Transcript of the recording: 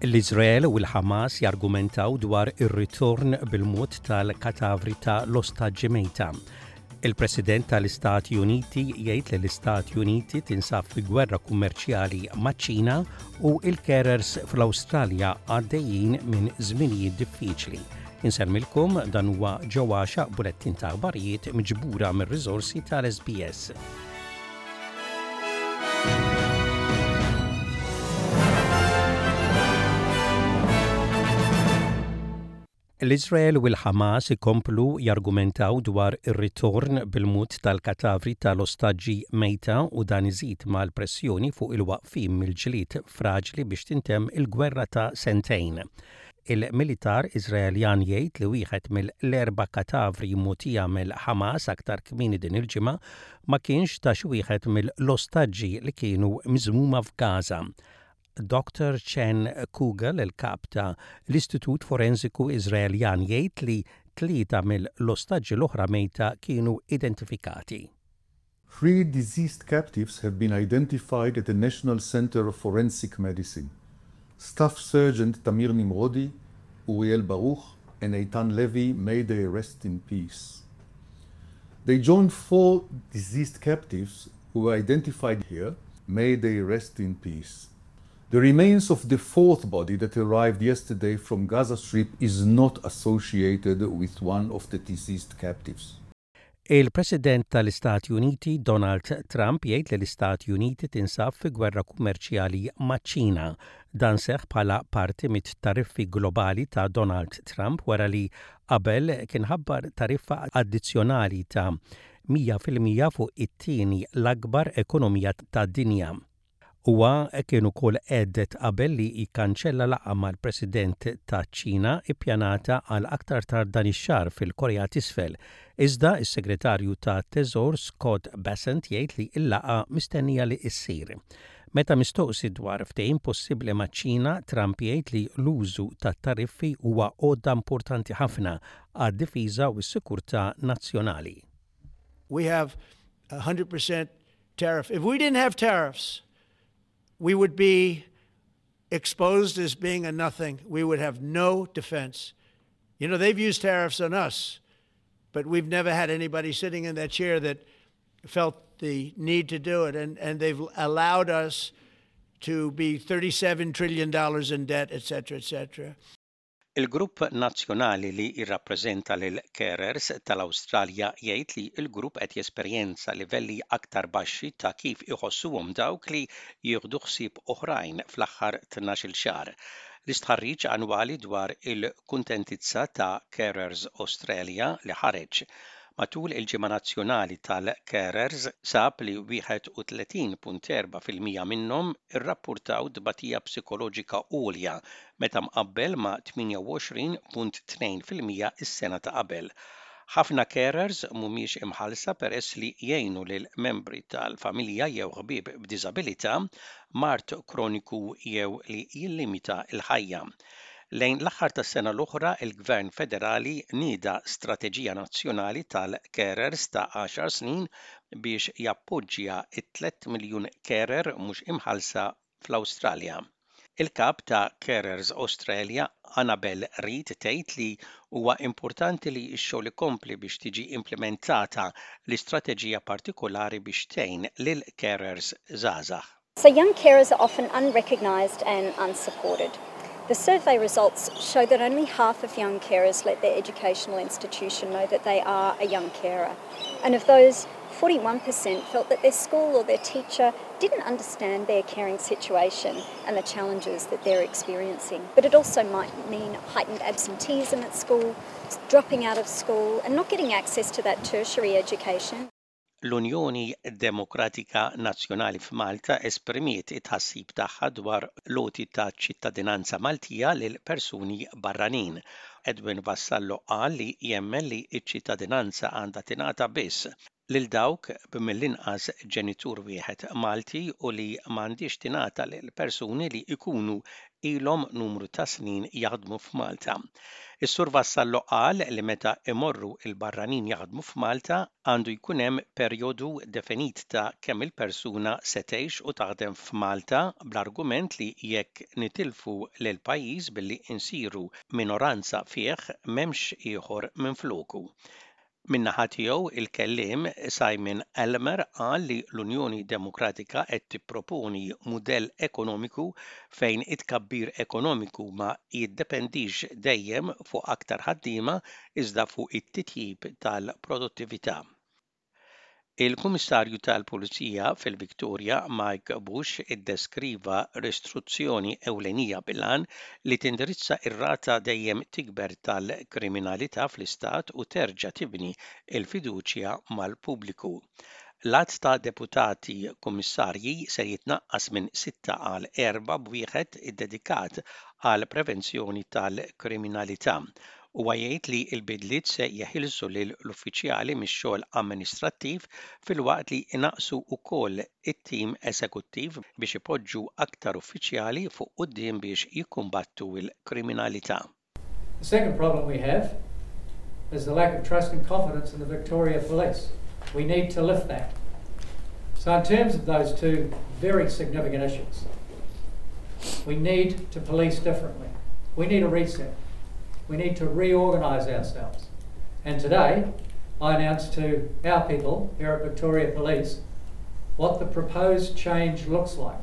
L-Iżrael u l-Ħamas jargumentaw dwar ir-ritorn bil-mod tal-katavri ta' l-ostaġġi mejta. Il-President tal-Istati Uniti jgħid li l-Istati Uniti tinsab fi gwerra kummerċjali maċ-Ċina u il-carers fl-Awstralja għaddejjin minn żminijiet diffiċli. Insellmilkom dan huwa ġewwaxa bulettin ta' aħbarijiet miġbura mir-riżorsi tal-SBS. L-Iżrael u l-Ħamas ikomplu jargumentaw dwar ir-ritorn bil-mod tal-katavri tal-ostaġġi mejta u dan iżid mal-pressjoni fuq il-waqfien mill-ġlied fraġli biex tintemm il-gwerra ta' sentejn. Il-militar Iżraeljan jgħid li wieħed mill-erba' katavri mogħtija mill-Ħamas aktar kmieni din il-ġimgħa ma kienx ta' xi wieħed mill-ostaġġi li kienu miżmuma f'Gaza. Dr. Chen Kugel, il-kap ta' l-Istitut Forensiku Iżraeljan jgħid li tlieta mill-ostaġġi l-oħra mejta kienu identifikati. Three deceased captives have been identified at the National Center of Forensic Medicine. Staff Sergeant Tamir Nimrodi, Uriel Baruch, and Eitan Levy may they rest in peace. They joined four deceased captives who were identified here. May they rest in peace. The remains of the fourth body that arrived yesterday from Gaza Strip is not associated with one of the deceased captives. Il-President tal-Istati Uniti Donald Trump jgħid li l-Istati Uniti tinsab fi gwerra kummerċjali maċ-Ċina. Dan seħħ bħala parti mit-tariffi globali ta' Donald Trump wara li qabel kien ħabbar tariffa addizzjonali ta' 100% fuq it-tieni l-akbar ekonomija tad-dinja. Huwa kien ukoll hedded qabel li jikkanċella laqgħa mal-President taċ-Ċina ippjanata għal aktar tard dan ix-xahar fil-Korea t'Isfel. Iżda s-Segretarju tat-Teżor Scott Bessent jgħid li l-laqgħa mistennija li ssir. Meta mistoqsi dwar ftehim possibbli maċ-Ċina, Trump jgħid li l-użu tat-tariffi huwa għodda importanti ħafna għad-difiża u s-sikurtà nazzjonali. We have 100% tariff. If we didn't have tariffs, we would be exposed as being a nothing. We would have no defense. You know, they've used tariffs on us, but we've never had anybody sitting in that chair that felt the need to do it. And, and they've allowed us to be $37 trillion in debt, et cetera, et cetera. Il-grupp nazzjonali li jirrappreżenta lill-carers tal-Awstralja jgħid li l-grupp qed jesperjenza livelli aktar baxxi ta' kif iħossuhom dawk li jieħdu ħsieb oħrajn fl-aħħar 12-il xahar. L-istħarriġ annwali dwar il-kuntentizza ta' Carers Australia li ħareġ matul il-Ġimgħa Nazzjonali tal-Carers sab li 31.4% minnhom irrappurtaw tbatija psikoloġika għolja meta mqabbel ma' 28.2% is-sena ta' qabel. Ħafna carers mhumiex imħallsa peress li jgħinu lil membri tal-familja jew ħbieb b'diżabilità, mard kroniku jew li jillimita l-ħajja. Lejn l-aħħar tas-sena l-oħra, il-Gvern Federali nieda strateġija nazzjonali tal-carers ta' għaxar snin biex jappoġġja t-tliet miljun carer mhux imħallsa fl-Awstralja. Il-kap ta' Carers Australia, Annabel Reid tgħid li huwa importanti li x-xogħol ikompli biex tiġi implimentata l-istrateġija partikolari biex tgħin lil carers żgħażagħ. So young carers are often unrecognised and unsupported. The survey results show that only half of young carers let their educational institution know that they are a young carer. And of those, 41% felt that their school or their teacher didn't understand their caring situation and the challenges that they're experiencing. But it also might mean heightened absenteeism at school, dropping out of school, and not getting access to that tertiary education. L-Unjoni Demokratika Nazzjonali f'Malta esprimiet it-tħassib tagħha dwar l-għoti ta' ċittadinanza Maltija lil persuni barranin. Edwin Vassallo qal li jemmen li ċ-ċittadinanza għandha tingħata biss lil dawk b'mill-inqas ġenitur wieħed Malti u li m'għandhiex tingħata lil persuni li jkunu ilhom numru ta' snin jaħdmu f'Malta. Is-Sur Vassallo qal li meta imorru il-barranin jaħdmu f'Malta għandu jkun hemm perjodu definit ta' kemm il-persuna se tgħix u taħdem f'Malta bl-argument li jekk nitilfu lil pajjiż billi insiru minoranza fih m'hemmx ieħor minfloku. Min-naħa tiegħu il-kelliem Simon Elmer qal li l-Unjoni Demokratika qed tipproponi mudell ekonomiku fejn it-tkabbir ekonomiku ma jiddependix dejjem fuq aktar ħaddiema iżda fuq it-titjib tal-produttività. Il-Kummissarju tal-Pulizija fil-Victoria Mike Bush iddeskriva ristruzzjoni ewlenija bil-għan li tindirizza ir-rata dejjem tikber tal-kriminalità fl-istat u terġa' tibni il-fiduċja mal-pubbliku. L-għadd ta' deputati kummissarji se jitnaqqas minn sitta għal erba' b'wieħed iddedikat għal prevenzjoni tal-kriminalità. Huwa jgħid li l-bidliet se jeħilsu lill-uffiċjali mix-xogħol amministrattiv filwaqt li inaqqsu wkoll it-tim eżekuttiv biex ipoġġu aktar uffiċjali fuq quddiem biex jikkumbattu l-kriminalità. The second problem we have is the lack of trust and confidence in the Victoria Police. We need to lift that. So in terms of those two very significant issues, we need to police differently. We need a reset. We need to reorganise ourselves. And today, I announced to our people here at Victoria Police what the proposed change looks like.